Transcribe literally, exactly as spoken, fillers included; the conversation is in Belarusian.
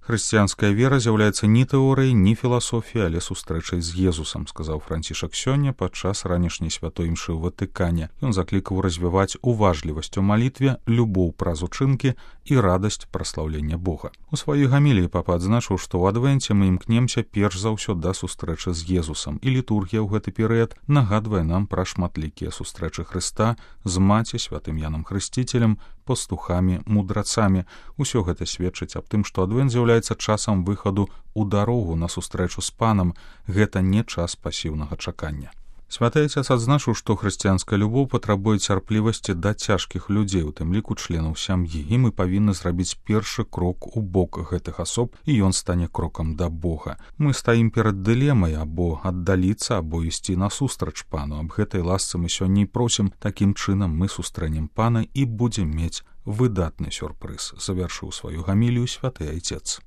Хрысціянская вера з'яўляецца ні тэорыяй, ні філасофіяй, але сустрэчай з Езусам, сказаў Францішак сёння падчас ранішняй святой імшы ў Ватыкане. Ён заклікаў развіваць уважлівасць у малітве, любоў праз учынкі і радасць праслаўлення Бога. У сваёй гаміліі папа адзначыў, што ў адвенце мы імкнемся перш за ўсё да сустрэчы з Езусам, і літургія ў гэты перыяд нагадвае нам пра шматлікія сустрэчы Хрыста з маці, святым Янам Хрысціцелем, пастухамі, мудрацамі. Усё гэта сведчыць аб тым, што адвент з'яўляецца часам выхаду ў дарогу на сустрэчу з панам. Гэта не час пасіўнага чакання. Святы Отец адзначыў, што хрысціянская любоў патрабуе цярплівасці да цяжкіх людзей, у тым ліку членаў сям'і, і мы павінны зрабіць першы крок у бок гэтых асоб, і ён стане крокам да Бога. Мы стаім перад дылемай або аддаліцца, або ісці насустрач пану. Аб гэтай ласцы мы сёння і просім. Такім чынам мы сустрэнем пана і будзем мець выдатны сюрпрыз, завяршыў сваю гамілію святы Отец.